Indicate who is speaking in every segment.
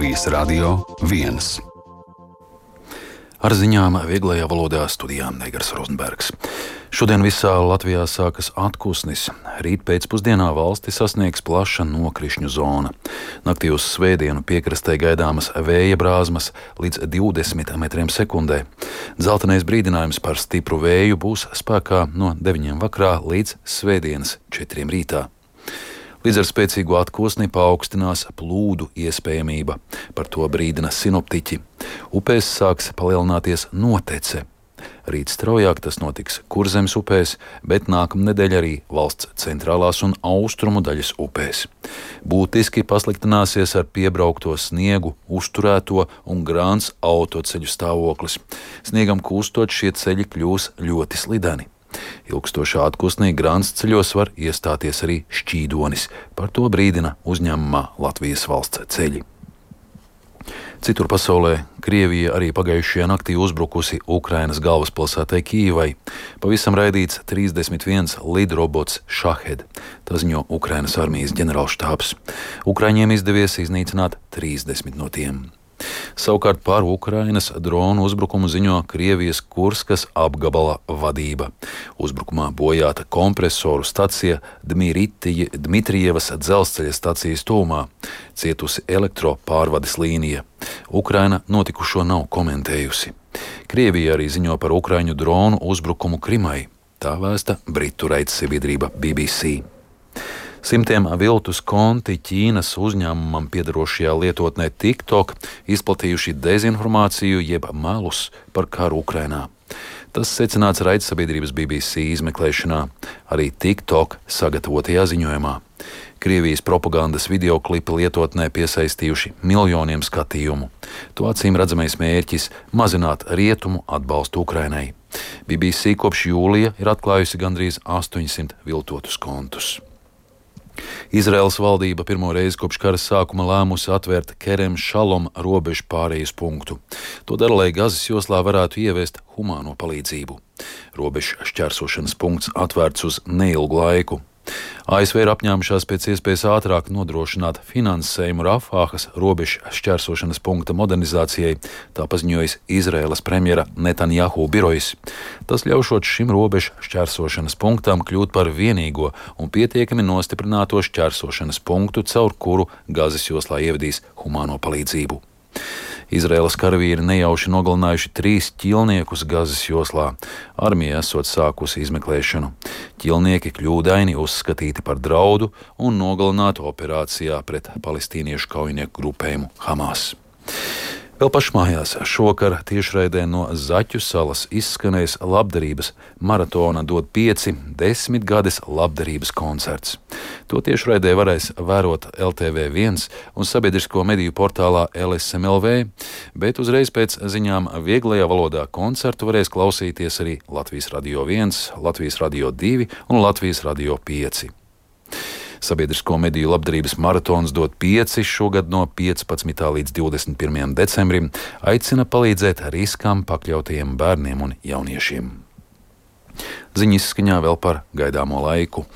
Speaker 1: Latvijas Radio 1. Ar ziņām vieglajā valodā studijā Negars Rozenbergs. Šodien visā Latvijā sākas atpūsnis. Rīt pēcpusdienā valsti sasniegs plaša nokrišņu zona. Naktī uz svētdienu piekrastē gaidāmas vēja brāzmas līdz 20 metriem sekundē. Dzeltenais brīdinājums par stipru vēju būs spēkā no 9 vakarā līdz svētdienas 4 rītā. Līdz ar spēcīgu atpūsni paaugstinās plūdu iespējamība. Par to brīdina sinoptiķi. Upēs sāks palielināties notece. Rīt straujāk tas notiks Kurzemes upēs, bet nākamnedēļ arī valsts centrālās un austrumu daļas upēs. Būtiski pasliktināsies ar piebraukto sniegu, uzturēto un grāns autoceļu stāvoklis. Sniegam kūstot šie ceļi kļūs ļoti slideni. Ilgstošā atpūsnī grāns ceļos var iestāties arī šķīdonis. Par to brīdina uzņēmumā Latvijas valsts ceļi. Citur pasaulē Krievija arī pagājušajā naktī uzbrukusi Ukrainas galvaspilsētai Kijivai. Pavisam raidīts 31 lidrobots Šahed. Tā ziņo Ukrainas armijas ģenerālštābs. Ukraiņiem izdevies iznīcināt 30 no tiem. Savukārt par Ukrainas dronu uzbrukumu ziņo Krievijas Kurskas apgabala vadība. Uzbrukumā bojāta kompresoru stacija Dmitrievas dzelzceļa stacijas tuvumā, cietusi elektropārvades līnija. Ukraina notikušo nav komentējusi. Krievija arī ziņo par ukraiņu dronu uzbrukumu Krimai. Tā vēsta britu raidsabiedrība BBC. Simtiem viltus konti Ķīnas uzņēmumam piederošajā lietotnē TikTok izplatījuši dezinformāciju jeb melus par karu Ukrainā. Tas secināts raidsabiedrības BBC izmeklēšanā, arī TikTok sagatavotajā ziņojumā. Krievijas propagandas videoklipi lietotnē piesaistījuši miljoniem skatījumu. To acīm redzamais mērķis - mazināt rietumu atbalstu Ukrainai. BBC kopš jūlija ir atklājusi gandrīz 800 viltotus kontus. Izraēlas valdība pirmo reizi kopš kara sākuma lēmusi atvērt Kerem Šalom robežu pārejas punktu. To dara, lai Gazas joslā varētu ieviest humāno palīdzību. Robežu šķērsošanas punkts atvērts uz neilgu laiku. ASV ir apņēmušās pēc iespējas ātrāk nodrošināt finansējumu Rafāhas robežu šķērsošanas punkta modernizācijai, tā paziņojas Izraēlas premjera Netanjahu birojs. Tas ļaušot šim robežu šķērsošanas punktam kļūt par vienīgo un pietiekami nostiprināto šķērsošanas punktu, caur kuru Gazas joslā ievedīs humāno palīdzību. Izraēlas karavīri nejauši nogalinājuši 3 ķilniekus Gazas joslā. Armija esot sākusi izmeklēšanu. Ķilnieki kļūdaini uzskatīti par draudu un nogalināti operācijā pret palestīniešu kaujinieku grupējumu Hamas. Vēl pašmājās šovakar tiešraidē no Zaķu salas izskanēs labdarības maratona dod 5 10 gades labdarības koncerts. To tiešraidē varēs vērot LTV1 un sabiedrisko mediju portālā LSMLV, bet uzreiz pēc ziņām vieglajā valodā koncertu varēs klausīties arī Latvijas Radio 1, Latvijas Radio 2 un Latvijas Radio 5. Sabiedrisko mediju labdarības maratons dod 5 šogad no 15. līdz 21. decembrim aicina palīdzēt riskam pakļautajiem bērniem un jauniešiem. Ziņas izskaņā vēl par gaidāmo laiku.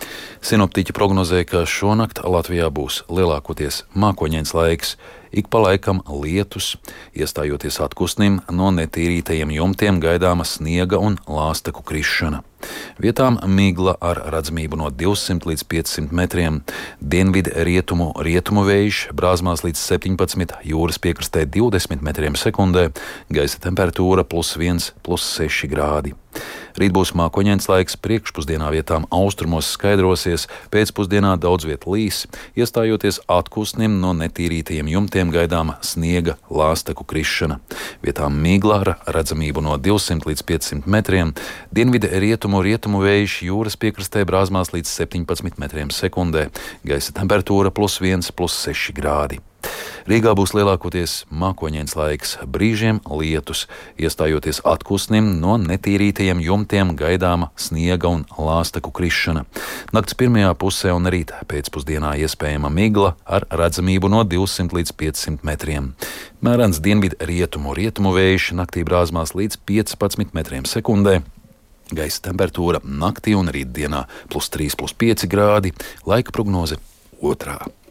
Speaker 1: Sinoptiķi prognozē, ka šonakt Latvijā būs lielākoties mākoņains laiks, ik pa laikam lietus, iestājoties atpūsnim no netīrītajiem jumtiem gaidāma sniega un lāsteku krišana. Vietām migla ar redzamību no 200 līdz 500 metriem, dienvidu rietumu vējš brāzmās līdz 17, jūras piekrastē 20 metriem sekundē, gaisa temperatūra +1, +6 grādi. Rīt būs mākoņains laiks, priekšpusdienā vietām austrumos skaidrosies, pēcpusdienā daudz viet līs, iestājoties atpūsnim no netīrītajiem jumtiem gaidāma sniega lāsteku krišana. Vietām migla ar redzamību no 200 līdz 500 metriem, dienvidu rietumu vējš jūras piekrastē brāzmās līdz 17 metriem sekundē, gaisa temperatūra +1, +6 grādi. Rīgā būs lielākoties mākoņains laiks, brīžiem lietus, iestājoties atpūsnim no netīrītajiem jumtiem gaidāma sniega un lāsteku krišana. Nakts pirmajā pusē un rīt pēcpusdienā iespējama migla ar redzamību no 200 līdz 500 metriem. Mērens dienvidu rietumu vējš naktī brāzmās līdz 15 metriem sekundē. Gaisa temperatūra naktī un rītdienā +3, +5 grādi, laika prognoze 2.